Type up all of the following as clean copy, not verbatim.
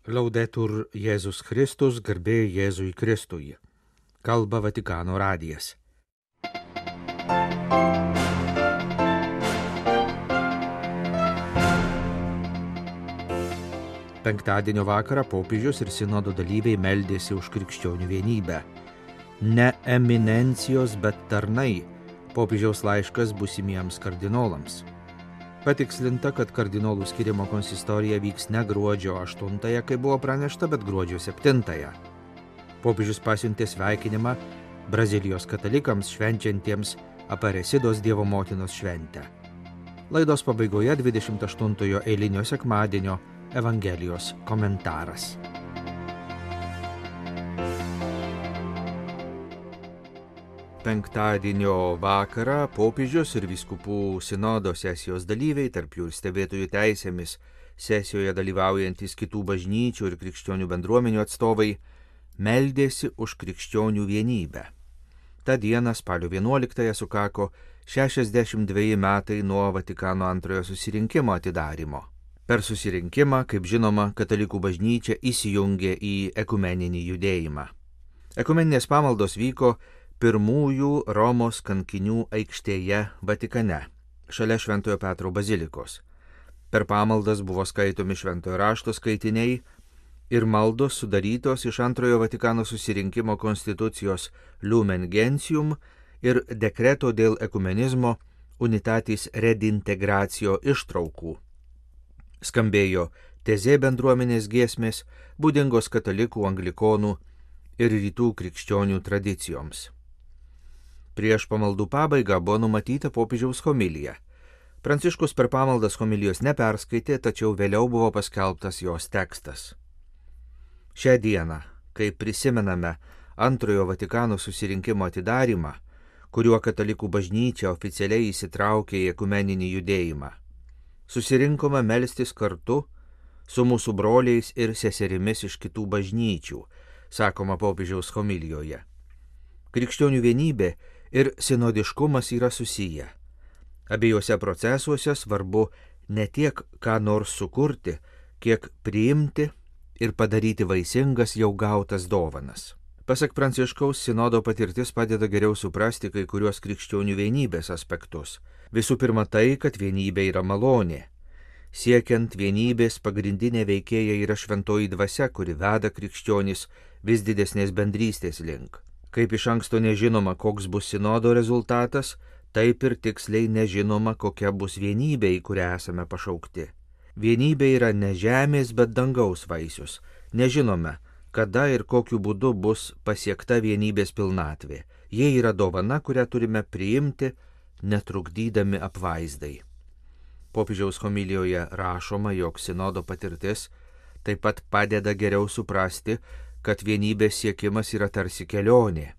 Laudetur Jėzus Kristus, garbė Jėzui Kristui. Kalba Vatikano radijas. Penktadienio vakarą popiežius ir sinodo dalyviai meldėsi už krikščionių vienybę. Ne eminencijos, bet tarnai. Popiežiaus laiškas būsimiems kardinolams. Patikslinta, kad kardinolų skirimo konsistorija vyks ne gruodžio 8, kaip buvo pranešta, bet gruodžio 7. Popiežius pasiuntė sveikinimą Brazilijos katalikams švenčiantiems Aparesidos Dievo motinos šventę. Laidos pabaigoje 28 eilinio sekmadienio Evangelijos komentaras. Penktadienio vakarą popiežius ir vyskupų sinodo sesijos dalyviai, tarp jų ir stebėtojų teisėmis, sesijoje dalyvaujantis kitų bažnyčių ir krikščionių bendruomenių atstovai, meldėsi už krikščionių vienybę. Ta diena, spalio 11, sukako 62 metai nuo Vatikano II susirinkimo atidarymo. Per susirinkimą, kaip žinoma, katalikų bažnyčia įsijungė į ekumeninį judėjimą. Ekumeninės pamaldos vyko pirmųjų Romos kankinių aikštėje Vatikane, šalia Šventojo Petro bazilikos. Per pamaldas buvo skaitomi Šventojo rašto skaitiniai ir maldos sudarytos iš Antrojo Vatikano susirinkimo konstitucijos Lumen Gentium ir dekreto dėl ekumenizmo Unitatis Redintegratio ištraukų. Skambėjo tezė bendruomenės giesmės, būdingos katalikų, anglikonų ir rytų krikščionių tradicijoms. Prieš pamaldų pabaigą buvo numatyta popiežiaus homilija. Pranciškus per pamaldas homilijos neperskaitė, tačiau vėliau buvo paskelbtas jos tekstas. Šią dieną, kai prisimename Antrojo Vatikano susirinkimo atidarymą, kuriuo katalikų bažnyčia oficialiai įsitraukė į ekumeninį judėjimą, susirinkome melstis kartu su mūsų broliais ir seserimis iš kitų bažnyčių, sakoma popiežiaus homilijoje. Krikščionių vienybė ir sinodiškumas yra susiję. Abiejose procesuose svarbu ne tiek ką nors sukurti, kiek priimti ir padaryti vaisingas jau gautas dovanas. Pasak Pranciškaus, sinodo patirtis padeda geriau suprasti kai kuriuos krikščionių vienybės aspektus. Visų pirma tai, kad vienybė yra malonė. Siekiant vienybės pagrindinė veikėja yra šventoji dvasia, kuri veda krikščionis vis didesnės bendrystės link. Kaip iš anksto nežinoma, koks bus sinodo rezultatas, taip ir tiksliai nežinoma, kokia bus vienybė, į kurią esame pašaukti. Vienybė yra ne žemės, bet dangaus vaisius. Nežinome, kada ir kokiu būdu bus pasiekta vienybės pilnatvė. Jie yra dovana, kurią turime priimti, netrukdydami apvaizdai. Popiežiaus homilijoje rašoma, jog sinodo patirtis taip pat padeda geriau suprasti, kad vienybės siekimas yra tarsi kelionė.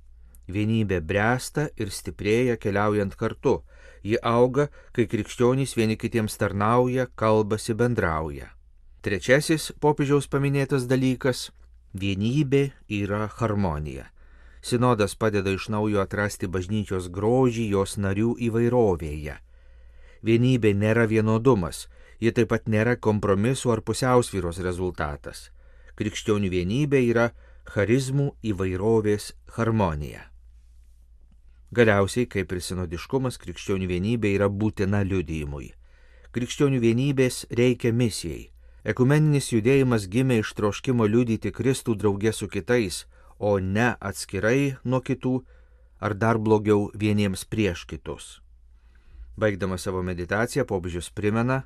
Vienybė bręsta ir stiprėja keliaujant kartu. Ji auga, kai krikščionys vieni kitiems tarnauja, kalbasi, bendrauja. Trečiasis popiežiaus paminėtas dalykas – vienybė yra harmonija. Sinodas padeda iš naujo atrasti bažnyčios grožį jos narių įvairovėje. Vienybė nėra vienodumas, ji taip pat nėra kompromisų ar pusiausvyros rezultatas. Krikščionių vienybė yra charizmų įvairovės harmonija. Galiausiai, kaip ir sinodiškumas, krikščionių vienybė yra būtina liudijimui. Krikščionių vienybės reikia misijai. Ekumeninis judėjimas gimė iš troškimo liudyti Kristų drauge su kitais, o ne atskirai nuo kitų, ar dar blogiau vieniems prieš kitus. Baigdamas savo meditaciją, popiežius primena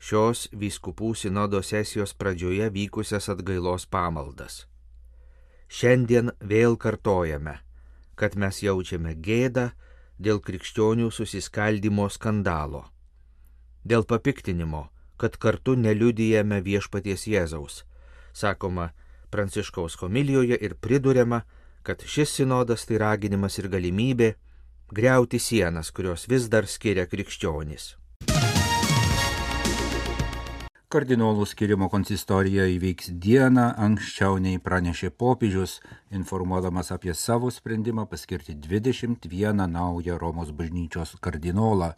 šios vyskupų sinodo sesijos pradžioje vykusias atgailos pamaldas. Šiandien vėl kartojame, kad mes jaučiame gėdą dėl krikščionių susiskaldymo skandalo, dėl papiktinimo, kad kartu neliudijame viešpaties Jėzaus, sakoma Pranciškaus homilijoje ir priduriama, kad šis sinodas tai raginimas ir galimybė griauti sienas, kurios vis dar skiria krikščionys. Kardinolų skirimo konsistorija įvyks dieną anksčiau nei pranešė popiežius, informuodamas apie savo sprendimą paskirti 21 naują Romos bažnyčios kardinolą.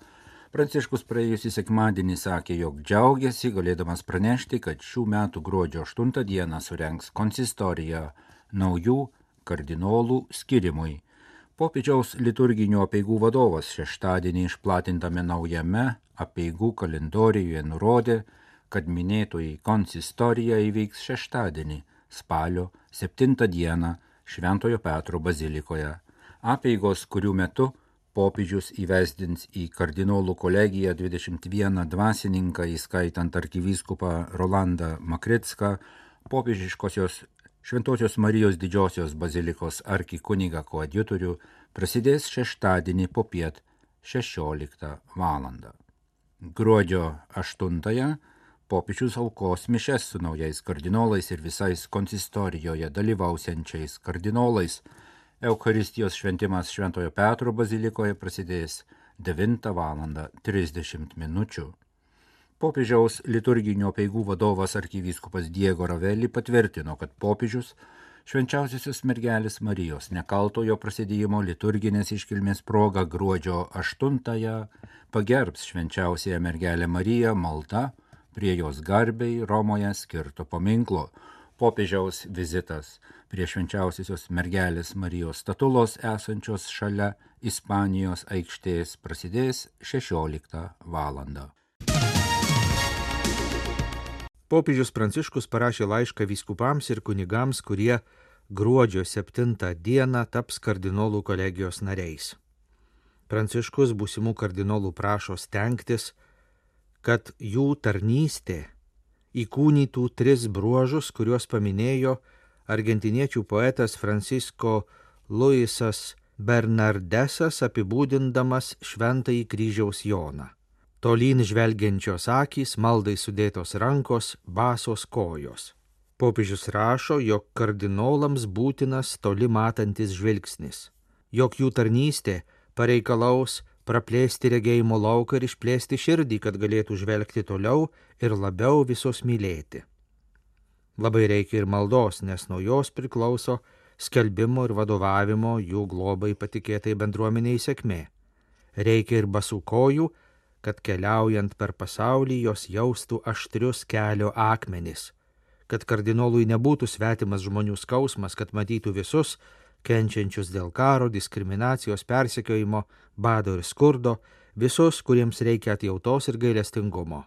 Pranciškus praėjusį sekmadienį sakė, jog džiaugiasi galėdamas pranešti, kad šių metų gruodžio 8 dieną surengs konsistoriją naujų kardinolų skirimui. Popiežiaus liturginių apeigų vadovas šeštadienį išplatintame naujame apeigų kalendoriuje nurodė, kad minėtoji konsistorija įvyks šeštadienį, spalio 7 dieną Šventojo Petro bazilikoje. Apeigos, kurių metu popiežius įvesdins į kardinolų kolegiją 21 dvasininką, įskaitant arkivyskupą Rolandą Makricką, popiežiškosios Šventosios Marijos didžiosios bazilikos arkikunigą koadjutorių, prasidės šeštadienį popiet 16 valandą. Gruodžio 8 popiežius aukos mišes su naujais kardinolais ir visais konsistorijoje dalyvausiančiais kardinolais. Eucharistijos šventimas Šventojo Petro bazilikoje prasidės 9 valandą 30 minučių. Popiežiaus liturginio apeigų vadovas arkivyskupas Diego Ravelli patvirtino, kad popiežius Švenčiausiosios mergelės Marijos nekaltojo prasidėjimo liturginės iškilmės proga gruodžio 8 pagerbs Švenčiausiąją mergelę Mariją malda prie jos garbei Romoje skirto paminklo. Popiežiaus vizitas prie Švenčiausiosios mergelės Marijos statulos esančios šalia Ispanijos aikštės prasidės 16 valandą. Popiežius Pranciškus parašė laišką vyskupams ir kunigams, kurie gruodžio 7 dieną taps kardinolų kolegijos nariais. Pranciškus būsimų kardinolų prašo stengtis, kad jų tarnystė įkūnytų 3 bruožus, kuriuos paminėjo argentiniečių poetas Francisco Luisas Bernardesas apibūdindamas Šventąjį kryžiaus Joną. Tolyn žvelgiančios akys, maldai sudėtos rankos, basos kojos. Popiežius rašo, jog kardinolams būtinas toli matantis žvilgsnis, jog jų tarnystė pareikalaus praplėsti regėjimo lauką ir išplėsti širdį, kad galėtų žvelgti toliau ir labiau visus mylėti. Labai reikia ir maldos, nes nuo jos priklauso skelbimo ir vadovavimo jų globai patikėtai bendruomeniai sėkmė. Reikia ir basų kojų, kad keliaujant per pasaulį jos jaustų aštrius kelio akmenis, kad kardinolui nebūtų svetimas žmonių skausmas, kad matytų visus, kenčiančius dėl karo, diskriminacijos, persekiojimo, bado ir skurdo, visus, kuriems reikia atjautos ir gailestingumo.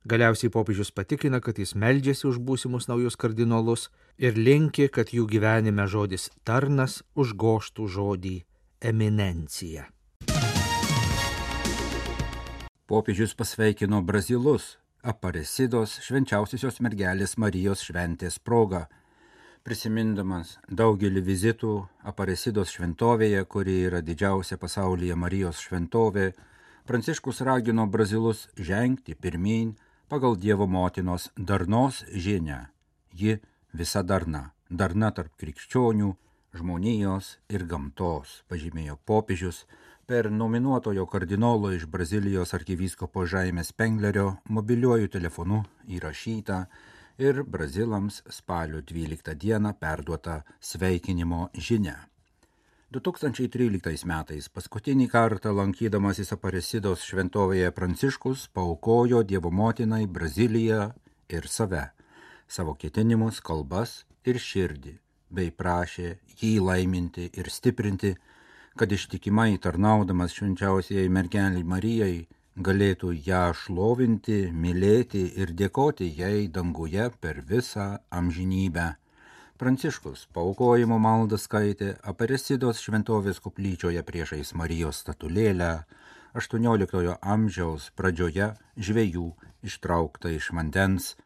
Galiausiai popiežius patikina, kad jis meldžiasi už būsimus naujus kardinolus ir linki, kad jų gyvenime žodis tarnas užgoštų žodį eminencija. Popiežius pasveikino Brazilus Aparecidos Švenčiausiosios mergelės Marijos šventės proga. Prisimindamas daugelį vizitų Aparecidos šventovėje, kuri yra didžiausia pasaulyje Marijos šventovė, Pranciškus ragino Brazilus žengti pirmyn pagal Dievo motinos darnos žinią. Ji visa darna tarp krikščionių, žmonijos ir gamtos, pažymėjo popiežius per nominuotojo kardinolo iš Brazilijos arkivyskupo Žaimės Penglerio mobiliuoju telefonu įrašytą ir brazilams spalio 12 dieną perduotą sveikinimo žinią. 2013 metais paskutinį kartą lankydamasis Aparecidos šventovėje Pranciškus paaukojo Dievo motinai Braziliją ir savo ketinimus, kalbas ir širdį, bei prašė jį laiminti ir stiprinti, kad ištikimai tarnaudamas švenčiausiai mergelei Marijai galėtų ją šlovinti, mylėti ir dėkoti jai danguje per visą amžinybę. Pranciškus paaukojimo maldą skaitė Aparecidos šventovės koplyčioje priešais Marijos statulėlę, 18 amžiaus pradžioje žvejų ištraukta iš vandens.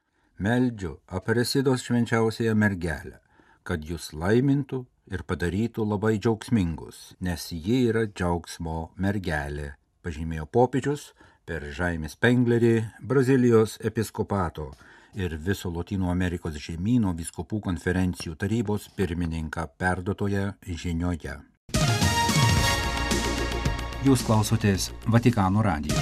Meldžiu Aparecidos švenčiausiąją mergelę, kad jūs laimintų ir padarytų labai džiaugsmingus, nes ji yra džiaugsmo mergelė, pažymėjo popiežius per Žaimės Penglerį, Brazilijos episkopato ir viso Lotynų Amerikos žemyno vyskupų konferencijų tarybos pirmininką perduotoje žinioje. Jūs klausotės Vatikano radijo.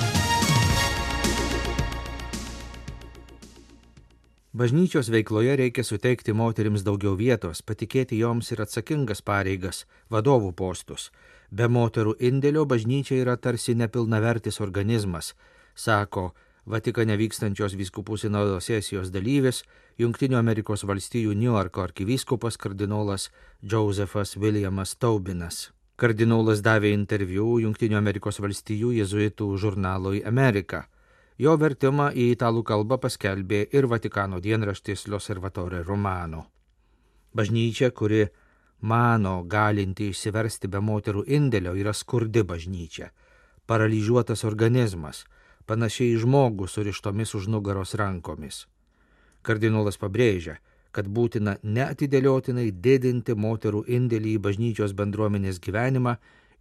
Bažnyčios veikloje reikia suteikti moterims daugiau vietos, patikėti joms ir atsakingas pareigas, vadovų postus. Be moterų indėlio bažnyčia yra tarsi nepilnavertis organizmas, sako Vatikane vykstančios vyskupų sinodo sesijos dalyvis, Jungtinių Amerikos valstijų Niujorko arkivyskupas kardinolas Josephas Williamas Taubinas. Kardinolas davė interviu Jungtinių Amerikos valstijų jėzuitų žurnalui Amerika. Jo vertimą į italų kalbą paskelbė ir Vatikano dienraštis L'Osservatore Romano. Bažnyčia, kuri mano galinti išsiversti be moterų indėlio, yra skurdi bažnyčia, paralyžiuotas organizmas, panašiai žmogų surištomis už nugaros rankomis. Kardinolas pabrėžia, kad būtina neatidėliotinai didinti moterų indėlį į bažnyčios bendruomenės gyvenimą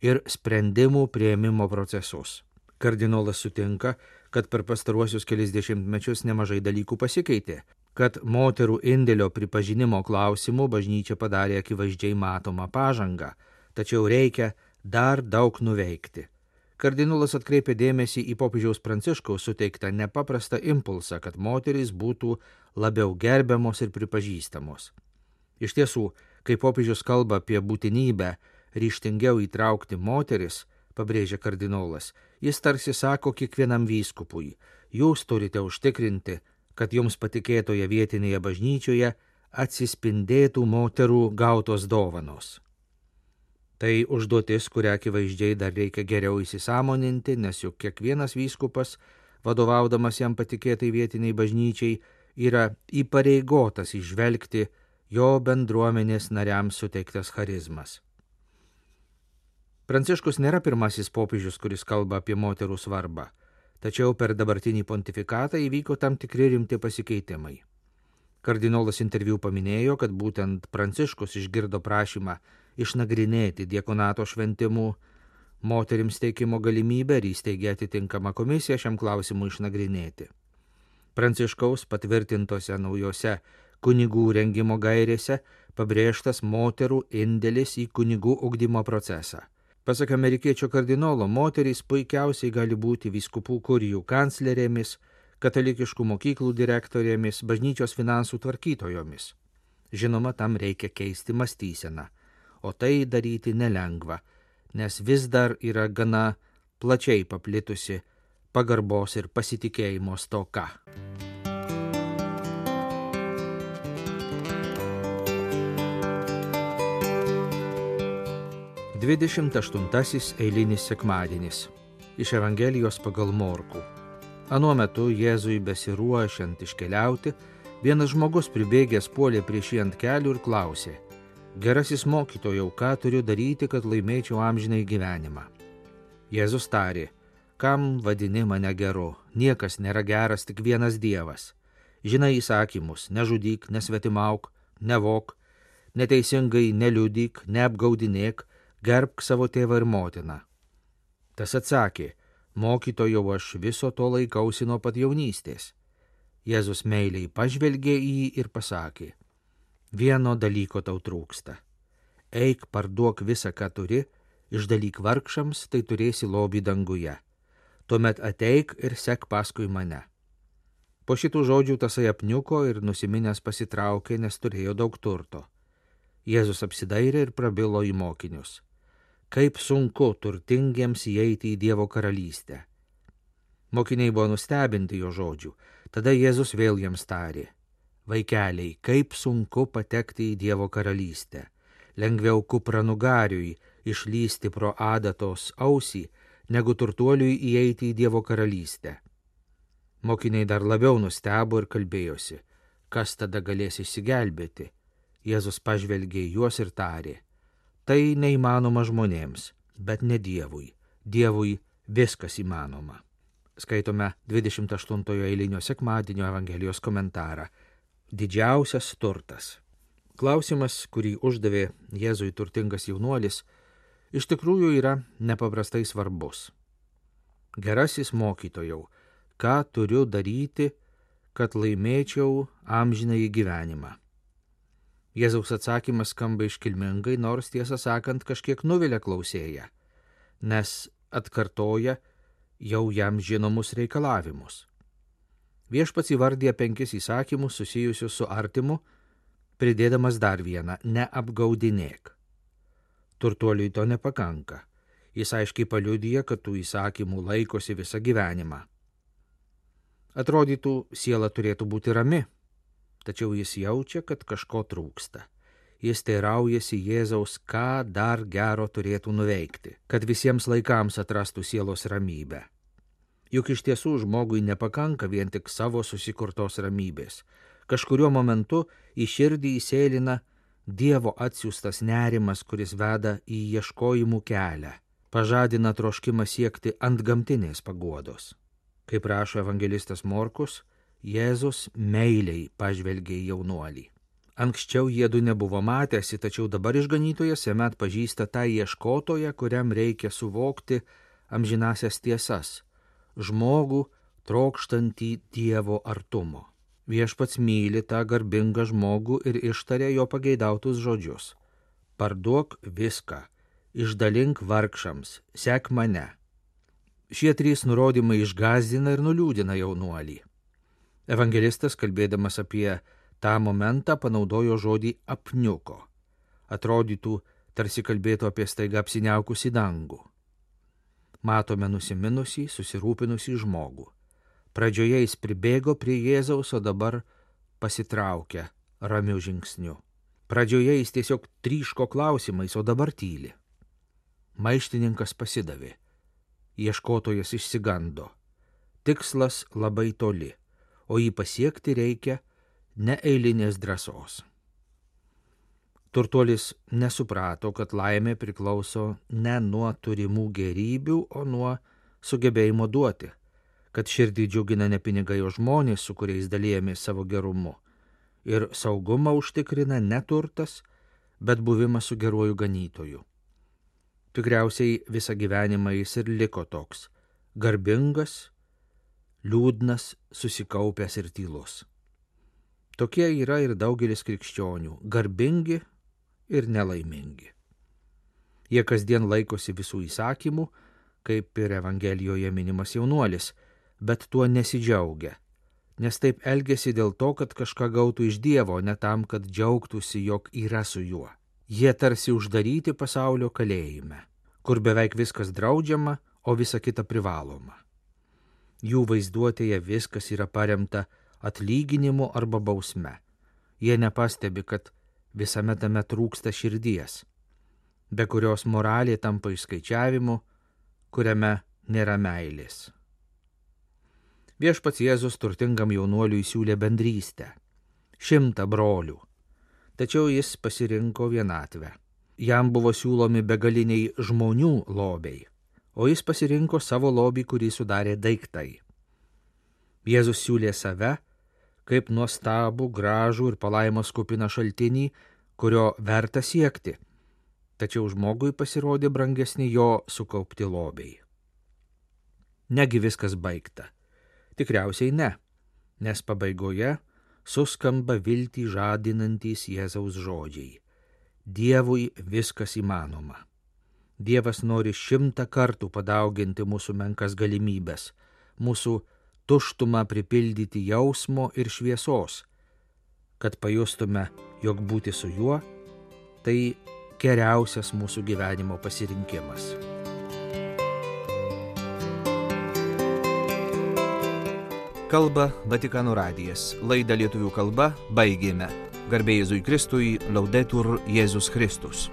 ir sprendimų priėmimo procesus. Kardinolas sutinka, kad per pastaruosius kelis dešimtmečius nemažai dalykų pasikeitė, kad moterų indėlio pripažinimo klausimų bažnyčia padarė akivaizdžiai matomą pažangą, tačiau reikia dar daug nuveikti. Kardinolas atkreipė dėmesį į popiežiaus Pranciškaus suteiktą nepaprastą impulsą, kad moterys būtų labiau gerbiamos ir pripažįstamos. Iš tiesų, kai popiežius kalba apie būtinybę ryžtingiau įtraukti moteris, pabrėžia kardinolas, jis tarsi sako kiekvienam vyskupui, jūs turite užtikrinti, kad jums patikėtoje vietinėje bažnyčioje atsispindėtų moterų gautos dovanos. Tai užduotis, kurią akivaizdžiai dar reikia geriau įsisąmoninti, nes juk kiekvienas vyskupas, vadovaudamas jam patikėtai vietiniai bažnyčiai, yra įpareigotas įžvelgti jo bendruomenės nariams suteiktas charizmas. Pranciškus nėra pirmasis popiežius, kuris kalba apie moterų svarbą, tačiau per dabartinį pontifikatą įvyko tam tikri rimti pasikeitimai. Kardinolas interviu paminėjo, kad būtent Pranciškus išgirdo prašymą išnagrinėti diakonato šventimų moterims teikimo galimybę ir įsteigė atitinkamą komisiją šiam klausimui išnagrinėti. Pranciškaus patvirtintose naujose kunigų rengimo gairėse pabrėžtas moterų indėlis į kunigų ugdymo procesą. Pasak amerikiečio kardinolo, moterys puikiausiai gali būti vyskupų kurijų kanclerėmis, katalikiškų mokyklų direktorėmis, bažnyčios finansų tvarkytojomis. Žinoma, tam reikia keisti mąstyseną, o tai daryti nelengva, nes vis dar yra gana plačiai paplitusi pagarbos ir pasitikėjimo stoka. Dvidešimt aštuntasis eilinis sekmadienis iš Evangelijos pagal Morkų. Anuo metu Jėzui besiruošiant iškeliauti, vienas žmogus pribėgęs puolė prieš jį ant kelių ir klausė: Gerasis mokytojau, ką turiu daryti, kad laimėčiau amžinai gyvenimą? Jėzus tarė: Kam vadini mane geru? Niekas nėra geras, tik vienas Dievas. Žinai įsakymus: nežudyk, nesvetimauk, nevok, neteisingai neliudyk, neapgaudinėk, gerbk savo tėvą ir motiną. Tas atsakė: Mokytojau, aš viso to laikausi nuo pat jaunystės. Jėzus meiliai pažvelgė į jį ir pasakė: Vieno dalyko tau trūksta. Eik, parduok visą, ką turi, išdalyk vargšams, tai turėsi lobį danguje. Tuomet ateik ir sek paskui mane. Po šitų žodžių tasai apniuko ir nusiminęs pasitraukė, nes turėjo daug turto. Jėzus apsidairė ir prabilo į mokinius: Kaip sunku turtingiems įeiti į Dievo karalystę. Mokiniai buvo nustebinti jo žodžių. Tada Jėzus vėl jiems tarė: Vaikeliai, kaip sunku patekti į Dievo karalystę. Lengviau kupranugariui išlysti pro adatos ausį, negu turtuoliui įeiti į Dievo karalystę. Mokiniai dar labiau nustebo ir kalbėjosi: Kas tada galės išsigelbėti? Jėzus pažvelgė į juos ir tarė: Tai neįmanoma žmonėms, bet ne Dievui. Dievui viskas įmanoma. Skaitome 28 eilinio sekmadienio Evangelijos komentarą. Didžiausias turtas. Klausimas, kurį uždavė Jėzui turtingas jaunuolis, iš tikrųjų yra nepaprastai svarbus. Gerasis mokytojau, ką turiu daryti, kad laimėčiau amžinąjį gyvenimą? Jėzaus atsakymas skamba iškilmingai, nors tiesą sakant kažkiek nuvilia klausėją, nes atkartoja jau jam žinomus reikalavimus. Viešpats įvardija 5 įsakymus susijusius su artimu, pridėdamas dar vieną – neapgaudinėk. Turtuoliui to nepakanka. Jis aiškiai paliudija, kad tų įsakymų laikosi visą gyvenimą. Atrodytų, siela turėtų būti rami, tačiau jis jaučia, kad kažko trūksta. Jis teiraujasi Jėzaus, ką dar gero turėtų nuveikti, kad visiems laikams atrastų sielos ramybę. Juk iš tiesų žmogui nepakanka vien tik savo susikurtos ramybės. Kažkuriuo momentu į širdį įsėlina Dievo atsiųstas nerimas, kuris veda į ieškojimų kelią, pažadina troškimą siekti antgamtinės paguodos. Kaip rašo evangelistas Morkus, Jėzus meiliai pažvelgė į jaunuolį. Anksčiau jiedu nebuvo matęsi, tačiau dabar išganytojas jame atpažįsta tą ieškotoją, kuriam reikia suvokti amžinasias tiesas, žmogų trokštantį Dievo artumo. Viešpats myli tą garbingą žmogų ir ištarė jo pageidautus žodžius. Parduok viską, išdalink vargšams, sek mane. Šie 3 nurodymai išgąsdina ir nuliūdina jaunuolį. Evangelistas, kalbėdamas apie tą momentą, panaudojo žodį apniuko. Atrodytų, tarsi kalbėtų apie staiga apsiniaukusį dangų. Matome nusiminusį, susirūpinusį žmogų. Pradžioje jis pribėgo prie Jėzaus, o dabar pasitraukia ramiu žingsniu. Pradžioje jis tiesiog tryško klausimais, o dabar tyli. Maištininkas pasidavė. Ieškotojas išsigando. Tikslas labai toli, o jį pasiekti reikia neeilinės drąsos. Turtuolis nesuprato, kad laimė priklauso ne nuo turimų gerybių, o nuo sugebėjimo duoti, kad širdį džiugina ne pinigai, o žmonės, su kuriais dalijamės savo gerumu, ir saugumą užtikrina ne turtas, bet buvimas su geruoju ganytoju. Tikriausiai visą gyvenimą jis ir liko toks – garbingas, liūdnas, susikaupęs ir tylus. Tokie yra ir daugelis krikščionių – garbingi ir nelaimingi. Jie kasdien laikosi visų įsakymų, kaip ir Evangelijoje minimas jaunuolis, bet tuo nesidžiaugia, nes taip elgesi dėl to, kad kažką gautų iš Dievo, ne tam, kad džiaugtųsi, jog yra su juo. Jie tarsi uždaryti pasaulio kalėjime, kur beveik viskas draudžiama, o visa kita privaloma. Jų vaizduotėje viskas yra paremta atlyginimu arba bausme. Jie nepastebi, kad visame tame trūksta širdies, be kurios moralė tampa išskaičiavimu, kuriame nėra meilės. Viešpats Jėzus turtingam jaunuoliui siūlė bendrystę, 100 brolių, tačiau jis pasirinko vienatvę. Jam buvo siūlomi begaliniai žmonių lobiai, o jis pasirinko savo lobį, kurį sudarė daiktai. Jėzus siūlė save kaip nuostabų, gražų ir palaimos kupiną šaltinį, kurio verta siekti, tačiau žmogui pasirodė brangesni jo sukaupti lobiai. Negi viskas baigta? Tikriausiai ne, nes pabaigoje suskamba viltį žadinantys Jėzaus žodžiai. Dievui viskas įmanoma. Dievas nori 100 kartų padauginti mūsų menkas galimybės, mūsų tuštumą pripildyti jausmo ir šviesos, kad pajustume, jog būti su juo – tai geriausias mūsų gyvenimo pasirinkimas. Kalba Vatikano radijas. Laidą lietuvių kalba baigėme. Garbė Jėzui Kristui, Laudetur Jėzus Kristus.